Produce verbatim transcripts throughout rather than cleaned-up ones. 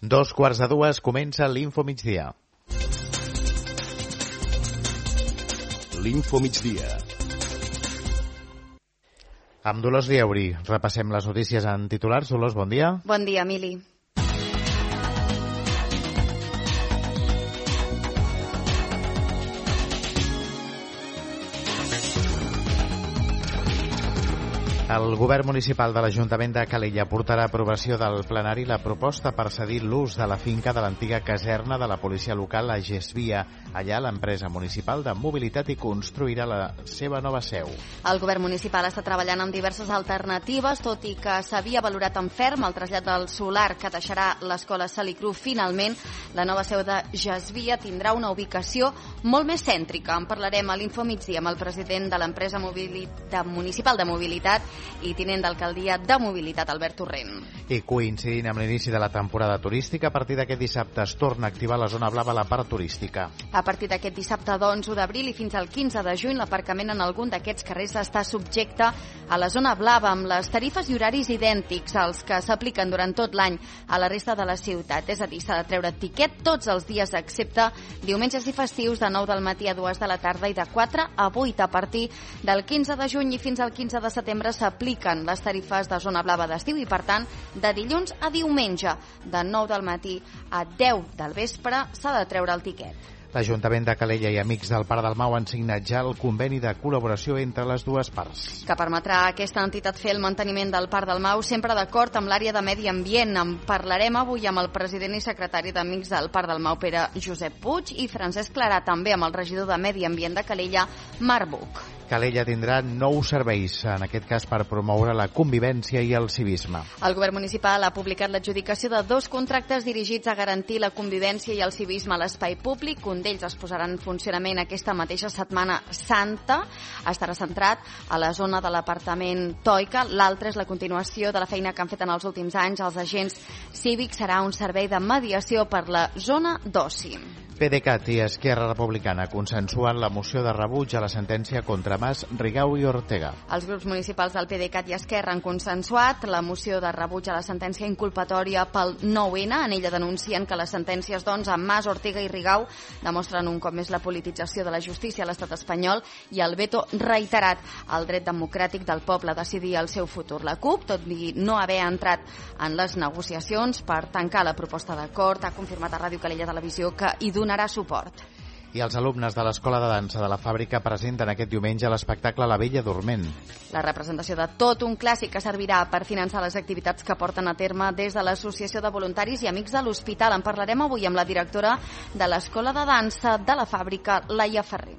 Dos quarts de dues comença l'Info Migdia. L'Info Migdia. Amb Dolors Lieuri repassem les notícies en titulars. Dolors, bon dia. Bon dia, Emili. El govern municipal de l'Ajuntament de Calella portarà a aprovació del plenari la proposta per cedir l'ús de la finca de l'antiga caserna de la policia local a Gesvia. Allà l'empresa municipal de mobilitat hi construirà la seva nova seu. El govern municipal està treballant amb diverses alternatives, tot i que s'havia valorat en ferm el trasllat del solar que deixarà l'escola Salicru. Finalment, la nova seu de Gesvia tindrà una ubicació molt més cèntrica. En parlarem a l'Info Migdia amb el president de l'empresa municipal de mobilitat i tinent d'alcaldia de mobilitat, Albert Torrent. I coincidint amb l'inici de la temporada turística, a partir d'aquest dissabte es torna a activar la zona blava a la part turística. A partir d'aquest dissabte d'onze d'abril i fins al quinze de juny, l'aparcament en algun d'aquests carrers està subjecte a la zona blava, amb les tarifes i horaris idèntics als que s'apliquen durant tot l'any a la resta de la ciutat. És a dir, s'ha de treure tiquet tots els dies excepte diumenges i festius de nou del matí a dues de la tarda i de quatre a vuit. A partir del quinze de juny i fins al quinze de setembre s'apliquen les tarifes de zona blava d'estiu i, per tant, de dilluns a diumenge, de nou del matí a deu del vespre, s'ha de treure el tiquet. L'Ajuntament de Calella i Amics del Parc del Mau han signat ja el conveni de col·laboració entre les dues parts. Que permetrà a aquesta entitat fer el manteniment del Parc del Mau, sempre d'acord amb l'àrea de medi ambient. En parlarem avui amb el president i secretari d'Amics del Parc del Mau, Pere Josep Puig, i Francesc Clarà, també amb el regidor de Medi Ambient de Calella, Marc Buch. Calella tindrà nous serveis, en aquest cas per promoure la convivència i el civisme. El govern municipal ha publicat l'adjudicació de dos contractes dirigits a garantir la convivència i el civisme a l'espai públic. Un d'ells es posarà en funcionament aquesta mateixa Setmana Santa. Estarà centrat a la zona de l'apartament Toica. L'altre és la continuació de la feina que han fet en els últims anys els agents cívics. Serà un servei de mediació per la zona d'oci. PDeCAT i Esquerra Republicana consensuen la moció de rebuig a la sentència contra Mas, Rigau i Ortega. Els grups municipals del PDeCAT i Esquerra han consensuat la moció de rebuig a la sentència inculpatòria pel nou ene. En ella denuncien que les sentències doncs, amb Mas, Ortega i Rigau demostren un cop més la politització de la justícia a l'estat espanyol i el veto reiterat al dret democràtic del poble a decidir el seu futur. La CUP, tot i no haver entrat en les negociacions per tancar la proposta d'acord, ha confirmat a Ràdio Calella Televisió que hi donarà suport. I els alumnes de l'Escola de Dansa de la Fàbrica presenten aquest diumenge l'espectacle La Bella Dorment. La representació de tot un clàssic que servirà per finançar les activitats que porten a terme des de l'Associació de Voluntaris i Amics de l'Hospital. En parlarem avui amb la directora de l'Escola de Dansa de la Fàbrica, Laia Ferrer.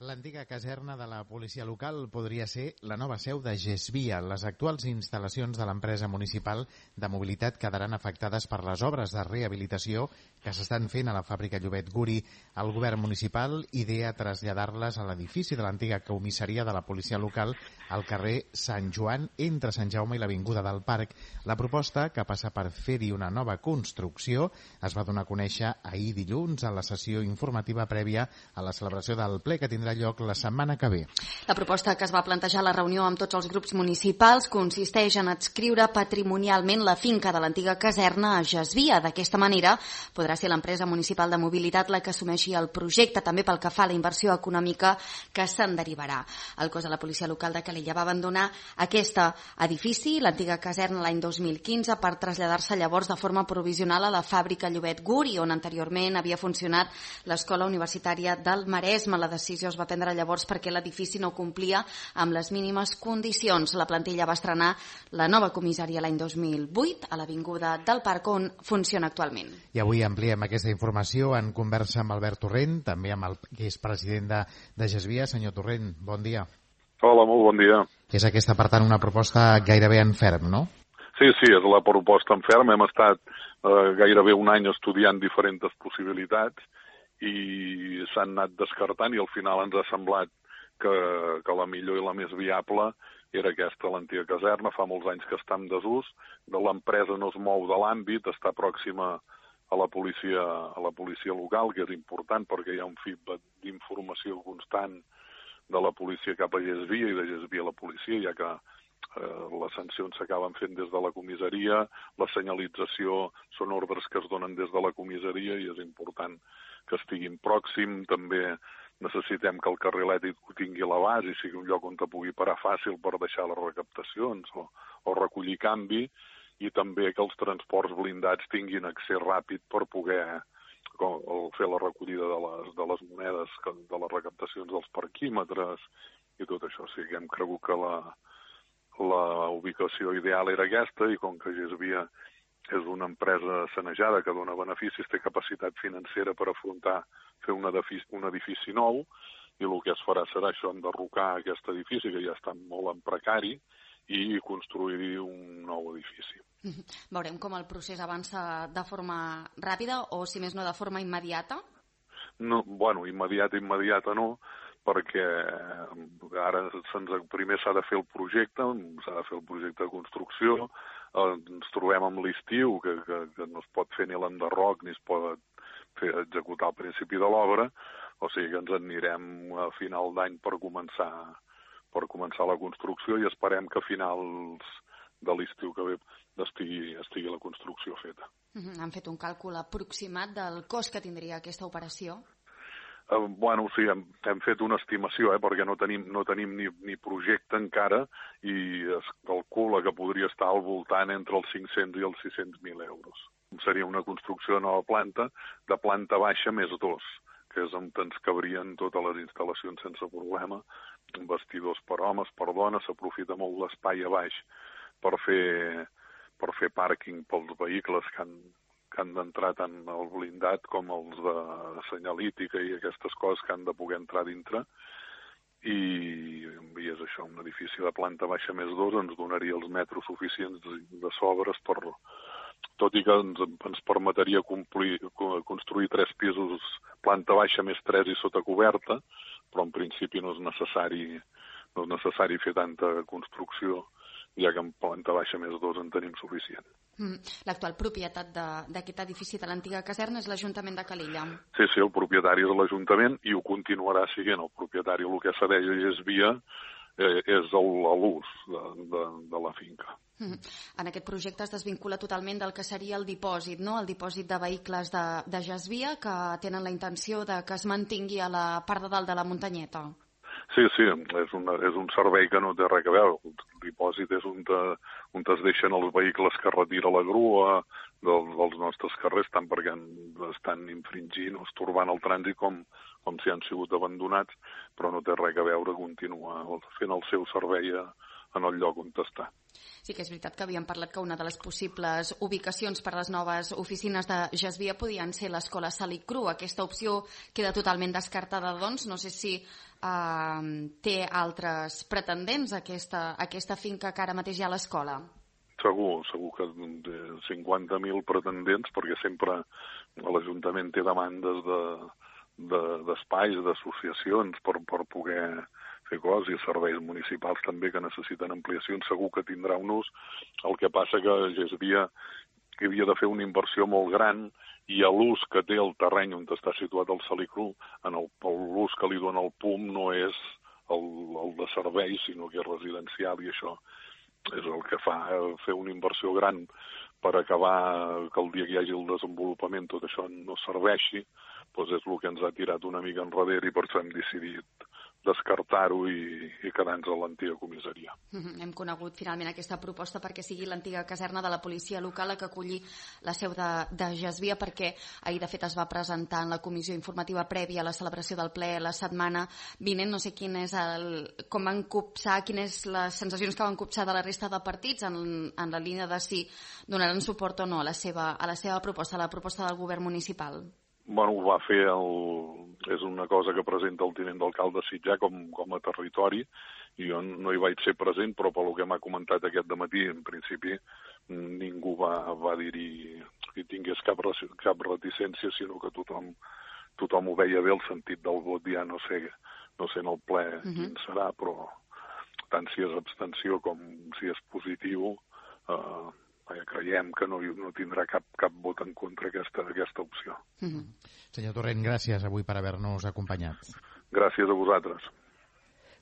L'antiga caserna de la policia local podria ser la nova seu de Gesvia. Les actuals instal·lacions de l'empresa municipal de mobilitat quedaran afectades per les obres de rehabilitació que s'estan fent a la fàbrica Llobet Guri. El govern municipal idea traslladar-les a l'edifici de l'antiga comissaria de la policia local al carrer Sant Joan, entre Sant Jaume i l'Avinguda del Parc. La proposta, que passa per fer-hi una nova construcció, es va donar a conèixer ahir dilluns a la sessió informativa prèvia a la celebració del ple que tindrà lloc la setmana que ve. La proposta que es va plantejar a la reunió amb tots els grups municipals consisteix en adscriure patrimonialment la finca de l'antiga caserna a Gesvia. D'aquesta manera podrà ser l'empresa municipal de mobilitat la que assumeixi el projecte, també pel que fa a la inversió econòmica que se'n derivarà. El cos de la policia local de Calella va abandonar aquest edifici, l'antiga caserna, l'any dos mil quinze, per traslladar-se llavors de forma provisional a la fàbrica Llobet Guri, on anteriorment havia funcionat l'escola universitària del Maresme. La decisió es va prendre llavors perquè l'edifici no complia amb les mínimes condicions. La plantilla va estrenar la nova comissària l'any dos mil vuit a l'Avinguda del Parc, on funciona actualment. I avui ampliem aquesta informació en conversa amb Albert Torrent, també amb el que és president de, de Gesvia. Senyor Torrent, bon dia. Hola, molt bon dia. És aquesta, per tant, una proposta gairebé en ferm, no? Sí, sí, és la proposta en ferm. Hem estat eh, gairebé un any estudiant diferents possibilitats i s'han anat descartant i al final ens ha semblat que, que la millor i la més viable era aquesta, l'antiga caserna. Fa molts anys que està en desús, de l'empresa no es mou de l'àmbit, està pròxima a la policia, a la policia local, que és important perquè hi ha un feedback d'informació constant de la policia cap a Gesvia i de Gesvia a la policia, ja que eh, les sancions s'acaben fent des de la comissaria, la senyalització són ordres que es donen des de la comissaria i és important que estiguin pròxim. També necessitem que el carrilet ho tingui a l'abast i sigui un lloc on te pugui parar fàcil per deixar les recaptacions o, o recollir canvi, i també que els transports blindats tinguin accés ràpid per poder com, fer la recollida de les, de les monedes, de les recaptacions dels parquímetres i tot això. O sigui, hem cregut que la, la ubicació ideal era aquesta, i com que Gesvia és una empresa sanejada que dona beneficis, té capacitat financera per afrontar fer un edifici, un edifici nou, i el que es farà serà això, enderrocar aquest edifici, que ja està molt en precari, i construir un nou edifici. Veurem com el procés avança de forma ràpida o, si més no, de forma immediata? No, bueno, immediata, immediata no, perquè ara se'ns, primer s'ha de fer el projecte, s'ha de fer el projecte de construcció, eh, ens trobem amb l'estiu, que, que, que no es pot fer ni l'enderroc ni es pot fer executar al principi de l'obra, o sigui que ens en anirem a final d'any per començar per començar la construcció, i esperem que a finals de l'estiu que ve estigui, estigui la construcció feta. Uh-huh. Han fet un càlcul aproximat del cost que tindria aquesta operació? Uh, bueno, sí, hem, hem fet una estimació, eh, perquè no tenim, no tenim ni, ni projecte encara, i es calcula que podria estar al voltant entre els cinc-cents i els sis-cents mil euros. Seria una construcció de nova planta, de planta baixa més dos, que és on ens cabrien totes les instal·lacions sense problema, vestidors per homes, per dones, s'aprofita molt l'espai a baix per fer, per fer pàrquing pels vehicles que han, que han d'entrar tant al blindat com els de senyalítica i aquestes coses que han de poder entrar dintre, i, i és això, un edifici de planta baixa més dos ens donaria els metres suficients de sobres per, tot i que ens, ens permetria complir, construir tres pisos, planta baixa més tres i sota coberta, però en principi no és necessari, no és necessari fer tanta construcció, ja que en planta baixa més dos en tenim suficient. Mm. L'actual propietat d'aquest edifici de l'antiga caserna és l'Ajuntament de Calella. Sí, sí, el propietari és l'Ajuntament i ho continuarà siguent. El propietari, el que cedeix a Gesvia, eh, és l'ús de, de, de la finca. Mm. En aquest projecte es desvincula totalment del que seria el dipòsit, no? El dipòsit de vehicles de, de Gesvia, que tenen la intenció de que es mantingui a la part de dalt de la muntanyeta. Sí, sí, és, una, és un servei que no té res a veure. El dipòsit és on, te, on es deixen els vehicles que retira la grua dels, dels nostres carrers, tant perquè estan infringint o estorbant el trànsit com, com si han sigut abandonats, però no té res a veure continuar fent el seu servei a, en el lloc on està. Sí que és veritat que havíem parlat que una de les possibles ubicacions per a les noves oficines de Gesvia podien ser l'Escola Salicru. Aquesta opció queda totalment descartada, doncs. No sé si eh, té altres pretendents aquesta, aquesta finca que ara mateix hi ha a l'escola. Segur, segur que cinquanta mil pretendents, perquè sempre l'Ajuntament té demandes de, de, d'espais, d'associacions per, per poder fer coses, i serveis municipals també que necessiten ampliacions, segur que tindrà un ús. El que passa que Gesvia havia de fer una inversió molt gran, i l'ús que té el terreny on està situat el Salicru, en el, l'ús que li dona el P U M no és el, el de servei, sinó que és residencial, i això és el que fa fer una inversió gran per acabar que el dia que hi hagi el desenvolupament tot això no serveixi, doncs és el que ens ha tirat una mica enrere, i per això hem decidit descartar-ho i, i quedar-nos a l'antiga comissaria. Mm-hmm. Hem conegut finalment aquesta proposta perquè sigui l'antiga caserna de la policia local la que acolli la seu de, de Gesvia, perquè ahir de fet es va presentar en la comissió informativa prèvia a la celebració del ple la setmana vinent. No sé quin és el, com van copsar, quines les sensacions que van copsar de la resta de partits en, en la línia de si donaran suport o no a la seva, a la seva proposta, a la proposta del govern municipal. Bueno, ho va fer, el, és una cosa que presenta el tinent d'alcalde Sitjar com, com a territori, i jo no hi vaig ser present, però pel que m'ha comentat aquest dematí, en principi ningú va, va dir-hi que tingués cap, cap reticència, sinó que tothom, tothom ho veia bé, el sentit del vot ja no sé, no sé en el ple uh-huh. quin serà, però tant si és abstenció com si és positiu, eh, creiem que no, no tindrà cap, cap vot en contra aquesta, aquesta opció. Mm-hmm. Senyor Torrent, gràcies avui per haver-nos acompanyat. Gràcies a vosaltres.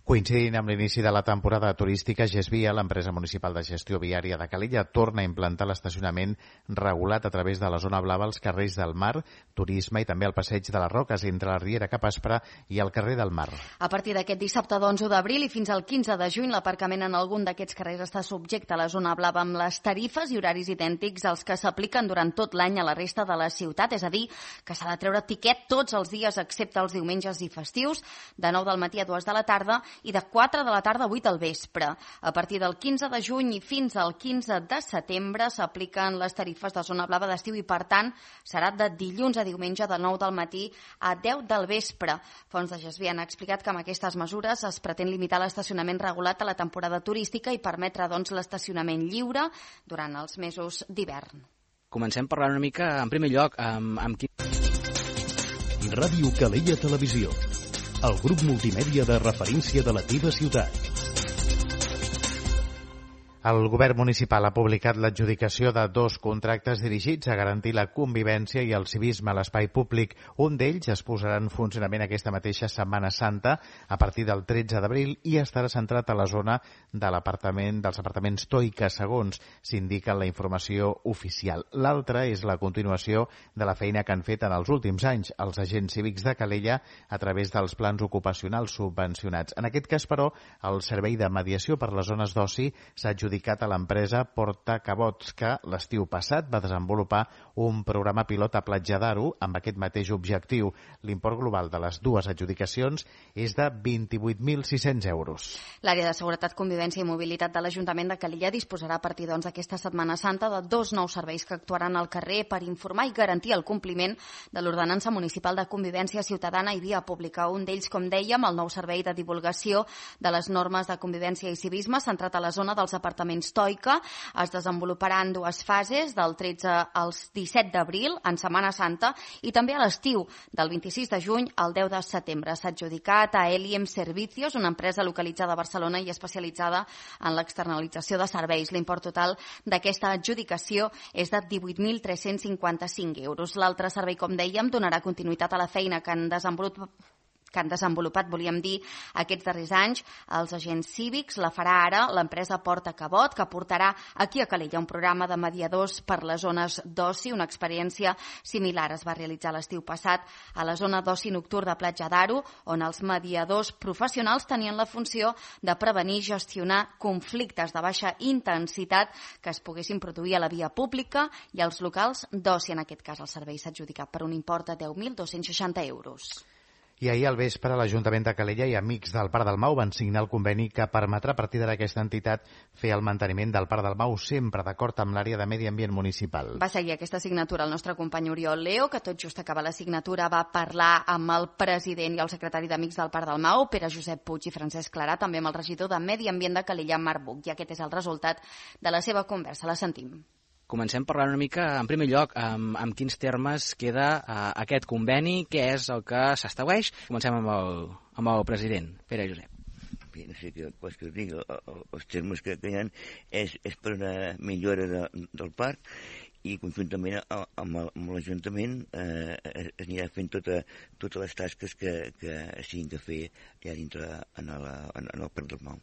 Coincidint amb l'inici de la temporada turística, Gesvia, l'empresa municipal de gestió viària de Calella, torna a implantar l'estacionament regulat a través de la zona blava als carrers del Mar, Turisme i també el passeig de les Roques entre la Riera Cap Aspre i el carrer del Mar. A partir d'aquest dissabte d'onze d'abril i fins al quinze de juny, l'aparcament en algun d'aquests carrers està subjecte a la zona blava amb les tarifes i horaris idèntics als que s'apliquen durant tot l'any a la resta de la ciutat, és a dir, que s'ha de treure tiquet tots els dies excepte els diumenges i festius, de nou del matí a dues de la tarda i de quatre de la tarda a vuit del vespre. A partir del quinze de juny i fins al quinze de setembre s'apliquen les tarifes de zona blava d'estiu i, per tant, serà de dilluns a diumenge de nou del matí a deu del vespre. Fons de Gesvia han explicat que amb aquestes mesures es pretén limitar l'estacionament regulat a la temporada turística i permetre, doncs, l'estacionament lliure durant els mesos d'hivern. Comencem parlant una mica, en primer lloc, amb, amb qui... Ràdio Calella Televisió, el grup multimèdia de referència de la teva ciutat. El govern municipal ha publicat l'adjudicació de dos contractes dirigits a garantir la convivència i el civisme a l'espai públic. Un d'ells es posarà en funcionament aquesta mateixa Setmana Santa a partir del tretze d'abril i estarà centrat a la zona de l'apartament dels apartaments Toica, segons s'indica en la informació oficial. L'altra és la continuació de la feina que han fet en els últims anys els agents cívics de Calella a través dels plans ocupacionals subvencionats. En aquest cas, però, el servei de mediació per les zones d'oci s'ha adjudicat a l'empresa Porta Cabots, que l'estiu passat va desenvolupar un programa pilot a Platja d'Aro amb aquest mateix objectiu. L'import global de les dues adjudicacions és de vint-i-vuit mil sis-cents euros. L'àrea de seguretat, convivència i mobilitat de l'Ajuntament de Calella disposarà a partir doncs, d'aquesta Setmana Santa de dos nous serveis que actuaran al carrer per informar i garantir el compliment de l'Ordenança Municipal de Convivència Ciutadana i Via Pública. Un d'ells, com dèiem, el nou servei de divulgació de les normes de convivència i civisme centrat a la zona dels apartaments Toica. Es desenvoluparà en dues fases, del tretze al disset d'abril, en Setmana Santa, i també a l'estiu, del vint-i-sis de juny al deu de setembre. S'ha adjudicat a Eliem Servicios, una empresa localitzada a Barcelona i especialitzada en l'externalització de serveis. L'import total d'aquesta adjudicació és de divuit mil tres-cents cinquanta-cinc euros. L'altre servei, com dèiem, donarà continuïtat a la feina que han desenvolupat que han desenvolupat, volíem dir, aquests darrers anys, els agents cívics. La farà ara l'empresa Porta Cabot, que portarà aquí a Calella un programa de mediadors per les zones d'oci. Una experiència similar es va realitzar l'estiu passat a la zona d'oci nocturn de Platja d'Aro, on els mediadors professionals tenien la funció de prevenir i gestionar conflictes de baixa intensitat que es poguessin produir a la via pública i als locals d'oci. En aquest cas, el servei s'ha adjudicat per un import de deu mil dos-cents seixanta euros. I ahir al vespre l'Ajuntament de Calella i Amics del Parc del Mau van signar el conveni que permetrà a partir d'aquesta entitat fer el manteniment del Parc del Mau sempre d'acord amb l'àrea de medi ambient municipal. Va seguir aquesta signatura el nostre company Oriol Leo, que tot just acabar la signatura va parlar amb el president i el secretari d'Amics del Parc del Mau, Pere Josep Puig i Francesc Clarà, també amb el regidor de Medi Ambient de Calella, Marc Buch. I aquest és el resultat de la seva conversa. La sentim. Comencem parlant una mica, en primer lloc, amb, amb quins termes queda uh, aquest conveni, què és el que s'estableix. Comencem amb el, amb el president, Pere Josep. Bé, no sé què vols que us digui, els termes que, que hi ha és, és per una millora de, del parc i conjuntament amb, amb l'Ajuntament eh, es anirà fent tota, totes les tasques que, que s'hagin de fer allà dintre en el, en el Parc del Mau.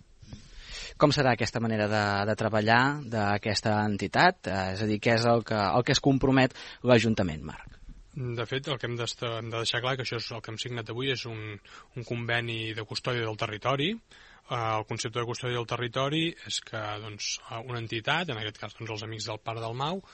Com serà aquesta manera de, de treballar d'aquesta entitat? Eh, és a dir, què és el que, el que es compromet l'Ajuntament, Marc? De fet, el que hem, hem de deixar clar, que això és el que hem signat avui, és un, un conveni de custòdia del territori. Uh, el concepte de custòdia del territori és que doncs, una entitat, en aquest cas doncs, els Amics del Parc del Mau,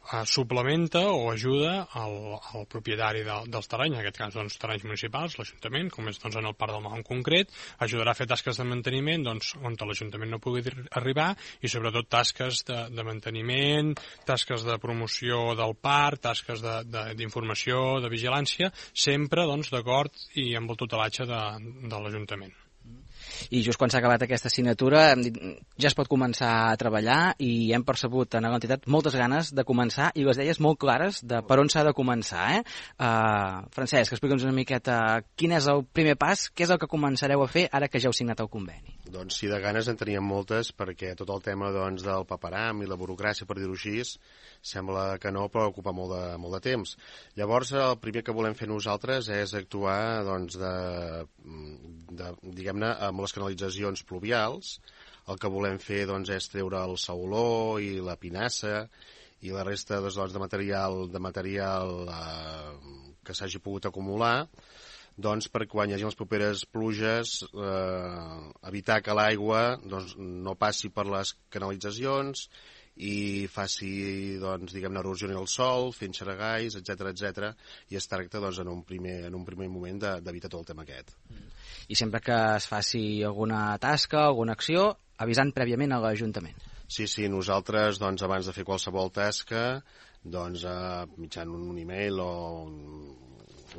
Uh, suplementa o ajuda el, el propietari de, dels terrenys, en aquest cas doncs, terrenys municipals, l'Ajuntament, com és doncs, en el Parc del Mau en concret, ajudarà a fer tasques de manteniment doncs, on l'Ajuntament no pugui arribar i sobretot tasques de, de manteniment, tasques de promoció del parc, tasques d'informació, de, de, de vigilància, sempre doncs, d'acord i amb el tutelatge de, de l'Ajuntament. I just quan s'ha acabat aquesta assignatura ja es pot començar a treballar i hem percebut en l'entitat moltes ganes de començar i les deies molt clares de per on s'ha de començar. Eh? Uh, Francesc, explica'ns una miqueta quin és el primer pas, què és el que començareu a fer ara que ja heu signat el conveni. Doncs sí, de ganes en teníem moltes perquè tot el tema doncs, del paperam i la burocràcia, per dir-ho així, sembla que no, però ocupa molt de, molt de temps. Llavors, el primer que volem fer nosaltres és actuar doncs, de, de, diguem-ne, amb les les canalitzacions pluvials. El que volem fer doncs, és treure el sauló i la pinassa i la resta doncs, de material, de material eh, que s'hagi pogut acumular, doncs, per quan hi hagi les properes pluges eh, evitar que l'aigua doncs, no passi per les canalitzacions i faci, doncs, diguem-ne, erosioni al sol, fent xaragais, etcètera, etcètera, i es tracta, doncs, en un primer, en un primer moment d'evitar tot el tema aquest. I sempre que es faci alguna tasca, alguna acció, avisant prèviament a l'Ajuntament. Sí, sí, nosaltres, doncs, abans de fer qualsevol tasca, doncs, eh, mitjançant un e-mail o un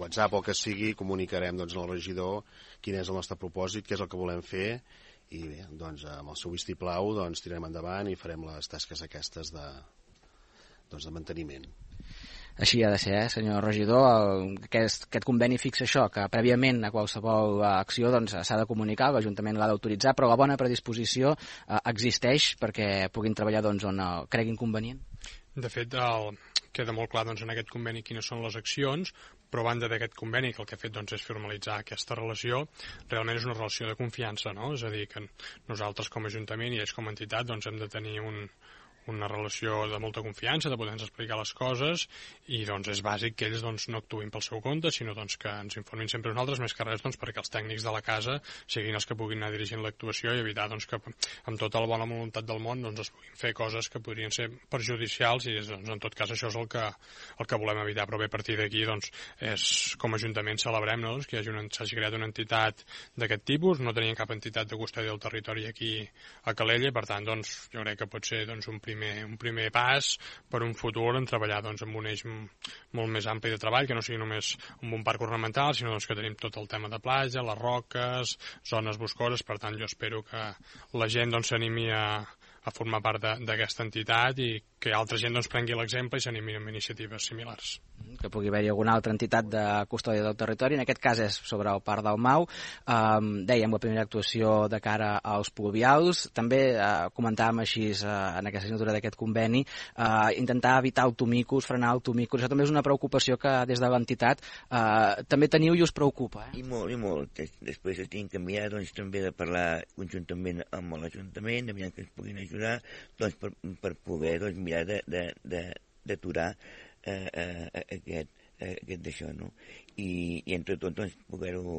WhatsApp o el que sigui, comunicarem, doncs, al regidor quin és el nostre propòsit, què és el que volem fer, i bé, doncs, amb el seu vistiplau, doncs, tirarem endavant i farem les tasques aquestes de, doncs, de manteniment. Així ha de ser, eh, senyor regidor. El, aquest, aquest conveni fixa això, que prèviament a qualsevol acció doncs, s'ha de comunicar, l'Ajuntament l'ha d'autoritzar, però la bona predisposició eh, existeix perquè puguin treballar doncs, on eh, creguin convenient. De fet, el, queda molt clar doncs, en aquest conveni quines són les accions, però a banda d'aquest conveni, que el que ha fet doncs, és formalitzar aquesta relació, realment és una relació de confiança, no? És a dir, que nosaltres com a Ajuntament i ells com a entitat doncs, hem de tenir un, una relació de molta confiança, de poder-nos explicar les coses, i doncs és bàsic que ells doncs, no actuïn pel seu compte, sinó doncs, que ens informin sempre nosaltres, més que res doncs, perquè els tècnics de la casa siguin els que puguin anar dirigint l'actuació i evitar doncs, que amb tota la bona voluntat del món doncs, es puguin fer coses que podrien ser perjudicials i doncs, en tot cas això és el que, el que volem evitar. Però bé, a partir d'aquí doncs, és, com a Ajuntament celebrem no? doncs, que s'hagi creat una entitat d'aquest tipus. No tenien cap entitat de custòdia del territori aquí a Calella i per tant doncs, jo crec que pot ser doncs, un primer, un primer pas per un futur en treballar doncs, amb un eix molt més ampli de treball, que no sigui només amb un parc ornamental, sinó doncs, que tenim tot el tema de platja, les roques, zones boscoses. Per tant, jo espero que la gent doncs, s'animi a, a formar part d'aquesta entitat i que altra gent doncs, prengui l'exemple i s'animi amb iniciatives similars. Que pugui haver-hi alguna altra entitat de custòdia del territori. En aquest cas és sobre el Parc del Mau. Um, dèiem la primera actuació de cara als pluvials. També uh, comentàvem així uh, en aquesta signatura d'aquest conveni uh, intentar evitar el tomicus, frenar el tomicus. Això també és una preocupació que des de l'entitat uh, també teniu i us preocupa. Eh? I molt, i molt. Després es tinc que enviar doncs, també de parlar conjuntament amb l'Ajuntament, aviam que ens puguin ajudar doncs, per, per poder doncs, mirar d'aturar Eh, eh, aquest, eh, aquest d'això, no? I, i entre tots doncs, poder-ho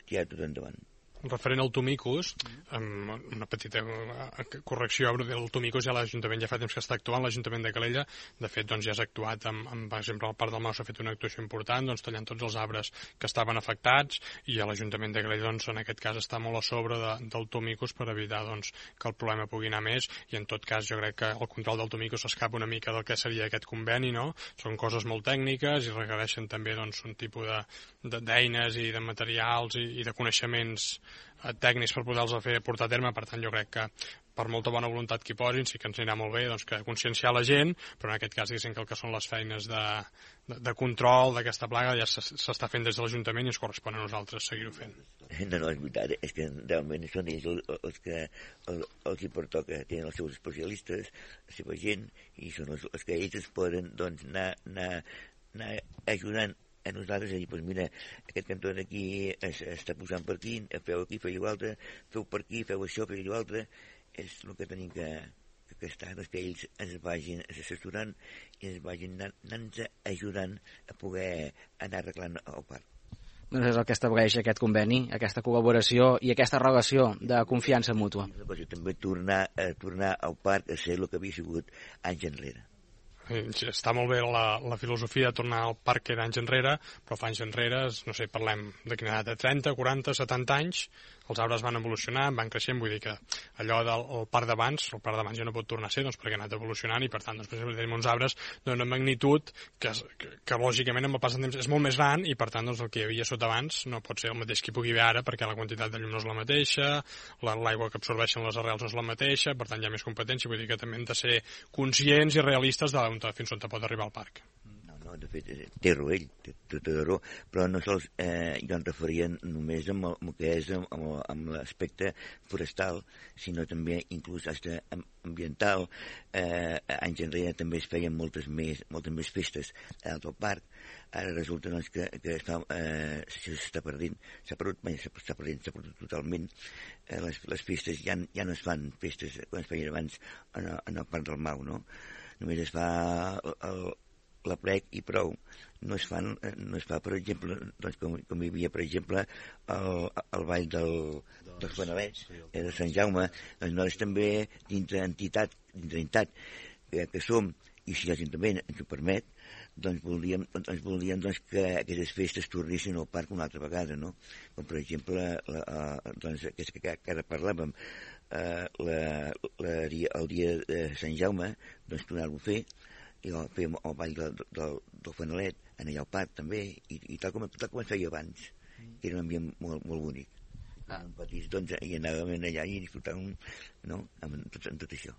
tirar tot endavant. Referent al tomicus, amb una petita correcció, el tomicus ja l'Ajuntament ja fa temps que està actuant, l'Ajuntament de Calella, de fet doncs ja s'ha actuat, amb, amb, per exemple, al Parc del Mau s'ha fet una actuació important, doncs tallant tots els arbres que estaven afectats, i l'Ajuntament de Calella doncs en aquest cas està molt a sobre de, del tomicus per evitar doncs que el problema pugui anar més, i en tot cas jo crec que el control del tomicus s'escapa una mica del que seria aquest conveni, no? Són coses molt tècniques i requereixen també doncs un tipus de, de, d'eines i de materials i, i de coneixements tècnics per poder-los fer portar a terme. Per tant, jo crec que per molta bona voluntat que hi posin, sí que ens anirà molt bé doncs, que conscienciar la gent, però en aquest cas diguéssim que el que són les feines de, de, de control d'aquesta plaga ja s'està fent des de l'Ajuntament i ens correspon a nosaltres seguir-ho fent. No, no, és veritat, és que realment són ells els, els que els, els hi pertoca, tenen els seus especialistes, la seva gent, i són els, els que ells es poden doncs, anar, anar, anar ajudant a nosaltres, a dir, doncs mira, aquest cantó d'aquí està posant per aquí, feu aquí, feu l'altre, feu per aquí, feu això, feu l'altre. És el que tenim que, que, que estar, doncs que ells ens vagin assessorant i ens vagin anant-nos ajudant a poder anar arreglant el parc. Doncs és el que estableix aquest conveni, aquesta col·laboració i aquesta relació de confiança mútua. També tornar, a, tornar al parc a ser el que havia sigut anys enrere. Està molt bé la, la filosofia de tornar al parc que era anys enrere, però fa anys enrere, no sé, parlem de quina edat, de trenta, quaranta, setanta anys, els arbres van evolucionant, van creixent, vull dir que allò del el parc d'abans, el parc d'abans ja no pot tornar a ser, doncs perquè ha anat evolucionant i per tant, doncs, per exemple, tenim uns arbres d'una magnitud que, que, que lògicament amb el pas del temps és molt més gran i per tant, doncs el que hi havia sota abans no pot ser el mateix que hi pugui haver ara perquè la quantitat de llum no és la mateixa, l'aigua que absorbeixen les arrels no és la mateixa, per tant hi ha més competència, vull dir que també hem de ser conscients i realistes de fins on pot arribar el parc. No, no, de fet, té raó ell, té tota la raó, però no sols eh, jo em referia només amb el, amb el que és amb, amb, amb l'aspecte forestal, sinó també inclús hasta ambiental. Eh, anys enrere també es feien moltes més, moltes més festes al parc. Ara resulta doncs, que, que està, eh, s'està perdent, s'ha perdut, s'ha perdent, s'ha perdut totalment. Eh, les, les festes ja, ja no es fan festes quan es feien abans en el, en el Parc del Mau, no? Només es fa el, el, l'aplec i prou. No es, fan, no es fa, per exemple, doncs, com, com hi havia, per exemple, el, el ball del, dels Fanalets, eh, de Sant Jaume. Doncs nosaltres també, dintre entitat, dintre entitat eh, que som, i si l'Ajuntament ens ho permet, doncs voldríem, doncs voldríem doncs, que aquestes festes tornessin al parc una altra vegada, no? Com, per exemple, la, la, doncs, que, que, que ara parlàvem, eh, la, la, el dia de Sant Jaume, doncs tornar-ho a fer, i el fèiem el ball del, del, del Fanalet, en allà al parc també, i, i tal, com, tal com es feia abans, que era un ambient molt, molt bonic. Ah. Petits, doncs, i anàvem allà i disfrutàvem, no?, amb tot, amb tot això.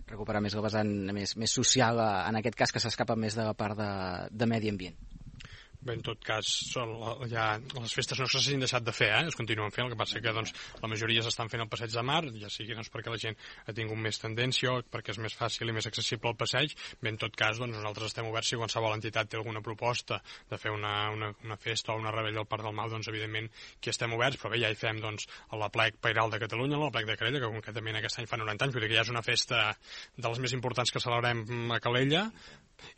Recuperar més el vessant més, més social, en aquest cas que s'escapa més de la part de, de medi ambient. Bé, en tot cas, són, ja, les festes no s'hagin deixat de fer, eh? Es continuen fent, el que passa que doncs, la majoria s'estan fent al Passeig de Mar, ja sigui doncs, perquè la gent ha tingut més tendència o perquè és més fàcil i més accessible al passeig. Bé, en tot cas, doncs, nosaltres estem oberts si qualsevol entitat té alguna proposta de fer una, una, una festa o una rebella al Parc del Mau, doncs evidentment que estem oberts, però bé, ja hi fem doncs, a la Plec Pairal de Catalunya, a la Plec de Calella, que concretament aquest any fa noranta anys, vull dir que ja és una festa de les més importants que celebrem a Calella,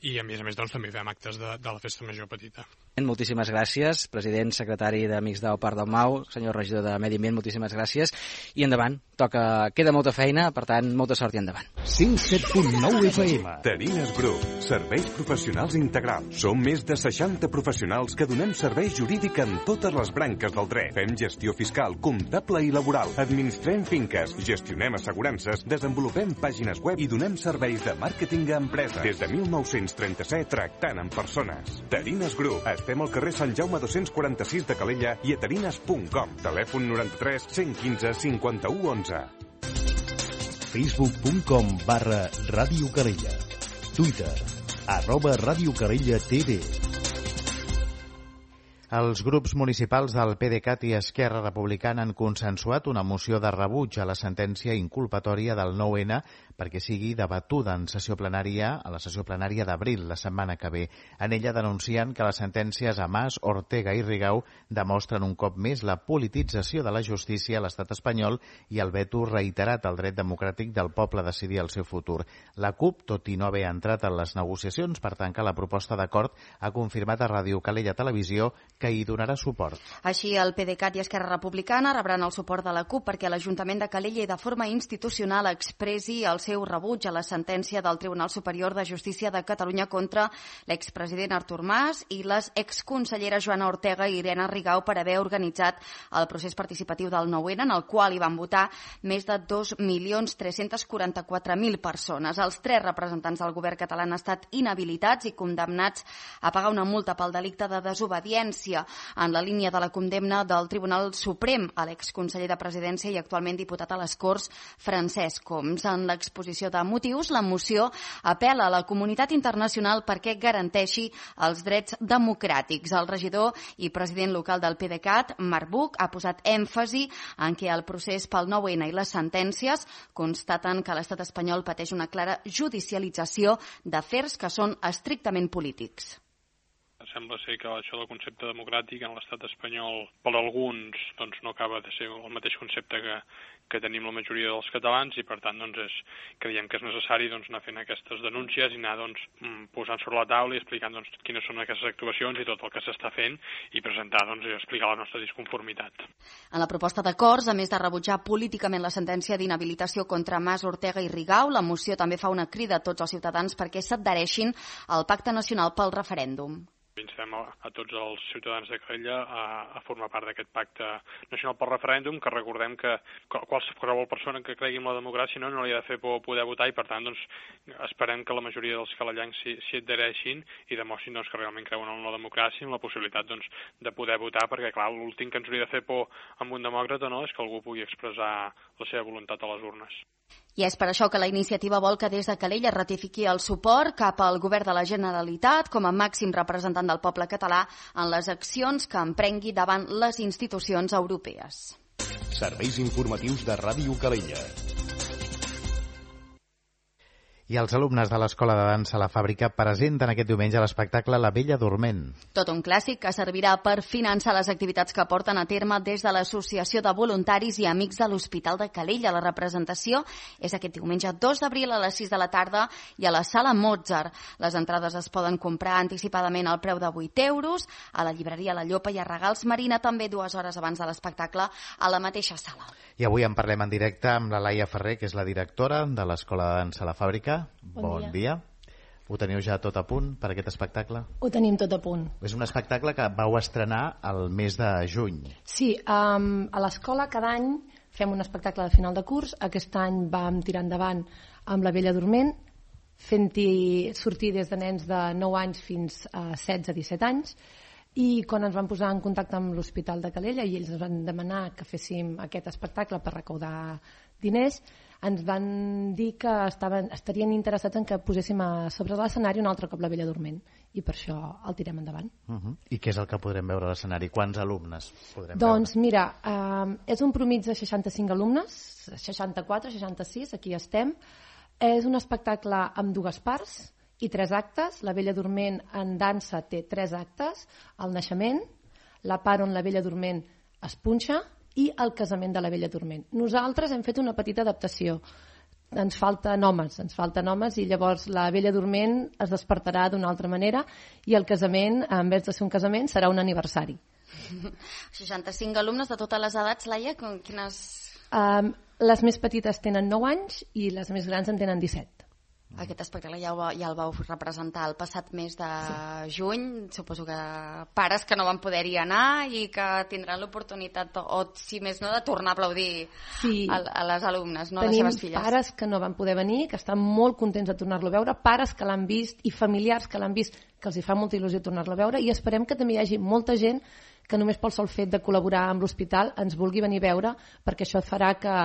i a més a més doncs, també fem actes de, de la festa major petita. Moltíssimes gràcies, president, secretari d'Amics del Parc del Mau, senyor regidor de Medi Ambient, moltíssimes gràcies, i endavant, toca, queda molta feina, per tant, molta sort i endavant. cinc set punt nou F M. Terines Group, serveis professionals integrals. Som més de seixanta professionals que donem servei jurídic en totes les branques del dret. Fem gestió fiscal, comptable i laboral, administrem finques, gestionem assegurances, desenvolupem pàgines web i donem serveis de màrqueting a empreses. Des de mil nou-cents trenta-set, tractant amb persones. Terines Group. Estem al carrer Sant Jaume dos-cents quaranta-sis de Calella i a terines punt com. Telèfon noranta-tres cent quinze cinquanta-u onze. Facebook punt com barra Ràdio Calella. Twitter, arroba Ràdio Calella T V. Els grups municipals del PDeCAT i Esquerra Republicana han consensuat una moció de rebuig a la sentència inculpatòria del nou ene perquè sigui debatuda en sessió plenària a la sessió plenària d'abril, la setmana que ve. En ella denuncien que les sentències a Mas, Ortega i Rigau demostren un cop més la politització de la justícia a l'estat espanyol i el veto reiterat al dret democràtic del poble a decidir el seu futur. La CUP, tot i no haver entrat en les negociacions per tancar la proposta d'acord, ha confirmat a Ràdio Calella Televisió que hi donarà suport. Així, el PDeCAT i Esquerra Republicana rebran el suport de la CUP perquè l'Ajuntament de Calella i de forma institucional expressi el seu rebuig a la sentència del Tribunal Superior de Justícia de Catalunya contra l'expresident Artur Mas i les exconselleres Joana Ortega i Irene Rigau per haver organitzat el procés participatiu del nou ene, en el qual hi van votar més de dos milions tres-cents quaranta-quatre mil persones. Els tres representants del govern català han estat inhabilitats i condemnats a pagar una multa pel delicte de desobediència, en la línia de la condemna del Tribunal Suprem a l'exconseller de Presidència i actualment diputat a les Corts, Francesc Homs. En l'exposició de motius, la moció apel·la a la comunitat internacional perquè garanteixi els drets democràtics. El regidor i president local del PDeCAT, Marc Buch, ha posat èmfasi en què el procés pel nou ene i les sentències constaten que l'estat espanyol pateix una clara judicialització d'afers que són estrictament polítics. Sembla ser que això del concepte democràtic en l'estat espanyol per alguns doncs, no acaba de ser el mateix concepte que, que tenim la majoria dels catalans i per tant doncs, és, creiem que és necessari doncs, anar fent aquestes denúncies i anar doncs, posant sobre la taula i explicant doncs, quines són aquestes actuacions i tot el que s'està fent i presentar doncs, i explicar la nostra disconformitat. En la proposta d'acords, a més de rebutjar políticament la sentència d'inhabilitació contra Mas, Ortega i Rigau, la moció també fa una crida a tots els ciutadans perquè s'adhereixin al Pacte Nacional pel Referèndum. Instem a, a tots els ciutadans de Calella a, a formar part d'aquest pacte nacional pel referèndum, que recordem que qualsevol persona que cregui en la democràcia no, no li ha de fer por poder votar i per tant doncs, esperem que la majoria dels calellancs s'hi adhereixin i demostrin doncs, que realment creuen en la democràcia i en la possibilitat doncs, de poder votar, perquè clar, l'últim que ens hauria de fer por amb un demòcrata no, és que algú pugui expressar la seva voluntat a les urnes. I és per això que la iniciativa vol que des de Calella ratifiqui el suport cap al govern de la Generalitat com a màxim representant del poble català en les accions que emprengui davant les institucions europees. Serveis informatius de Ràdio Calella. I els alumnes de l'Escola de Dansa La Fàbrica presenten aquest diumenge l'espectacle La Bella Dorment. Tot un clàssic que servirà per finançar les activitats que porten a terme des de l'Associació de Voluntaris i Amics de l'Hospital de Calella. La representació és aquest diumenge dos d'abril a les sis de la tarda i a la Sala Mozart. Les entrades es poden comprar anticipadament al preu de vuit euros, a la llibreria La Llopa i a Regals Marina també dues hores abans de l'espectacle a la mateixa sala. I avui en parlem en directe amb la Laia Ferrer, que és la directora de l'Escola de Dansa La Fàbrica. Bon, bon dia. dia. Ho teniu ja tot a punt per aquest espectacle? Ho tenim tot a punt. És un espectacle que vau estrenar el mes de juny. Sí, um, a l'escola cada any fem un espectacle de final de curs. Aquest any vam tirar endavant amb La Bella Dorment, fent-hi sortir des de nens de nou anys fins a setze a disset anys. I quan ens vam posar en contacte amb l'Hospital de Calella i ells ens van demanar que féssim aquest espectacle per recaudar diners, ens van dir que estaven, estarien interessats en que poséssim a sobre l'escenari un altre cop La Bella Dorment, i per això el tirem endavant. Uh-huh. I què és el que podrem veure a l'escenari? Quants alumnes podrem doncs, veure? mira, eh, és un promig de seixanta-cinc alumnes, seixanta-quatre, seixanta-sis, aquí estem. És un espectacle amb dues parts i tres actes. La Bella Dorment en dansa té tres actes: el naixement, la part on la Bella Dorment es punxa i el casament de la Bella Dorment. Nosaltres hem fet una petita adaptació. Ens falten homes, ens falten homes i llavors la Bella Dorment es despertarà d'una altra manera i el casament, en vez de ser un casament, serà un aniversari. seixanta-cinc alumnes de totes les edats, Laia, quines... Um, les més petites tenen nou anys i les més grans en tenen disset. Aquest espectacle ja, ja el vau representar el passat mes de sí. juny. Suposo que pares que no van poder-hi anar i que tindran l'oportunitat, o si més no, de tornar a aplaudir sí. a, a les alumnes, no? Tenim les seves filles. Pares que no van poder venir, que estan molt contents de tornar-lo a veure, pares que l'han vist i familiars que l'han vist, que els hi fa molta il·lusió tornar-lo a veure, i esperem que també hi hagi molta gent que només pel sol fet de col·laborar amb l'hospital ens vulgui venir a veure, perquè això farà que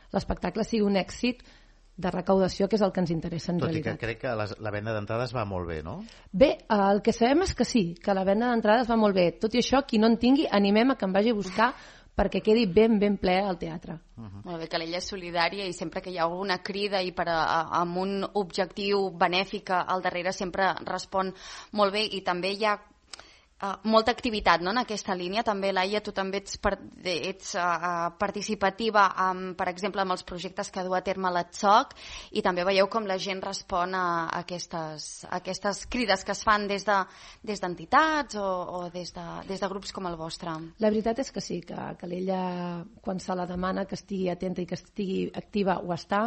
l'espectacle sigui un èxit de recaudació, que és el que ens interessa en Tot realitat. Tot i que crec que la, la venda d'entrades va molt bé, no? Bé, el que sabem és que sí, que la venda d'entrades va molt bé. Tot i això, qui no en tingui, animem a que en vagi a buscar perquè quedi ben, ben ple al teatre. Uh-huh. Molt bé, Calella és solidària i sempre que hi ha alguna crida i per a, a, amb un objectiu benèfic al darrere sempre respon molt bé, i també hi ha Uh, molta activitat, no?, en aquesta línia. També, Laia, tu també ets, per, ets uh, participativa, amb, per exemple, amb els projectes que du a terme l'A T S O C, i també veieu com la gent respon a aquestes, a aquestes crides que es fan des de, des d'entitats o, o des, de, des de grups com el vostre. La veritat és que sí, que Calella, quan se la demana que estigui atenta i que estigui activa, ho està.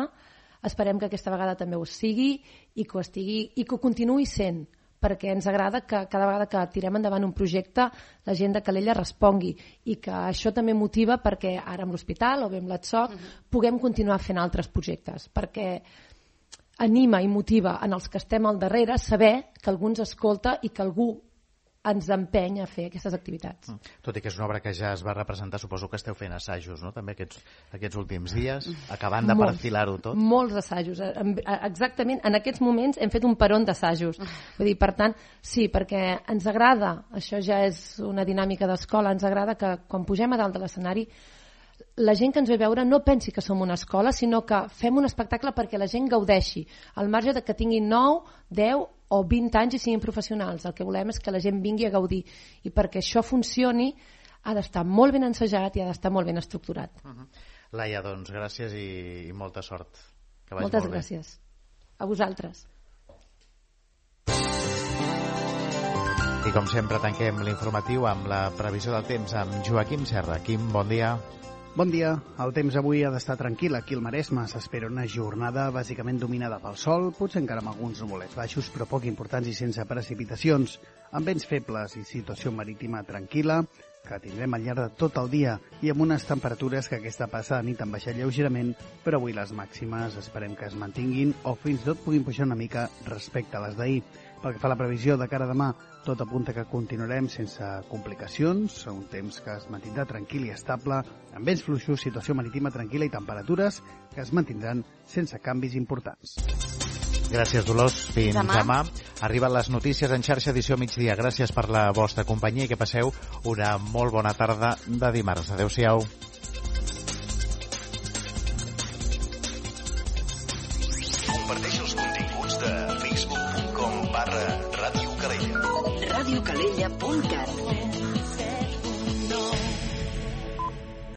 Esperem que aquesta vegada també ho sigui i que ho estigui, i que ho continuï sent, perquè ens agrada que cada vegada que tirem endavant un projecte la gent de Calella respongui, i que això també motiva perquè ara amb l'hospital o bé amb l'A T S O C uh-huh. puguem continuar fent altres projectes, perquè anima i motiva en els que estem al darrere saber que algú ens escolta i que algú ens empeny a fer aquestes activitats. Tot i que és una obra que ja es va representar, suposo que esteu fent assajos, no?, també aquests, aquests últims dies, acabant de molts, perfilar-ho tot. Molts assajos. Exactament, en aquests moments hem fet un peron d'assajos. Vull dir, per tant, sí, perquè ens agrada, això ja és una dinàmica d'escola, ens agrada que quan pugem a dalt de l'escenari la gent que ens ve a veure no pensi que som una escola, sinó que fem un espectacle perquè la gent gaudeixi, al marge de que tinguin nou, deu o vint anys i siguin professionals. El que volem és que la gent vingui a gaudir, i perquè això funcioni ha d'estar molt ben ensajat i ha d'estar molt ben estructurat. Uh-huh. Laia, doncs gràcies i, i molta sort. Que vagi Moltes molt bé. gràcies. A vosaltres. I com sempre tanquem l'informatiu amb la previsió del temps amb Joaquim Serra. Quim, bon dia. Bon dia. El temps avui ha d'estar tranquil. Aquí al Maresme s'espera una jornada bàsicament dominada pel sol, potser encara amb alguns nuvolets baixos, però poc importants i sense precipitacions, amb vents febles i situació marítima tranquil·la, que tindrem al llarg de tot el dia, i amb unes temperatures que aquesta passada nit han baixat lleugerament, però avui les màximes esperem que es mantinguin o fins i tot puguin pujar una mica respecte a les d'ahir. Pel que fa a la previsió de cara a demà, tot apunta que continuarem sense complicacions, un temps que es mantindrà tranquil i estable, amb vents fluixos, situació marítima tranquil·la i temperatures que es mantindran sense canvis importants. Gràcies, Dolors. Fins demà. demà. Arriben les notícies en xarxa edició migdia. Gràcies per la vostra companyia i que passeu una molt bona tarda de dimarts. Adéu-siau. Comparteix els continguts de facebook punt com barra Ràdio Calella. radiocalella punt cat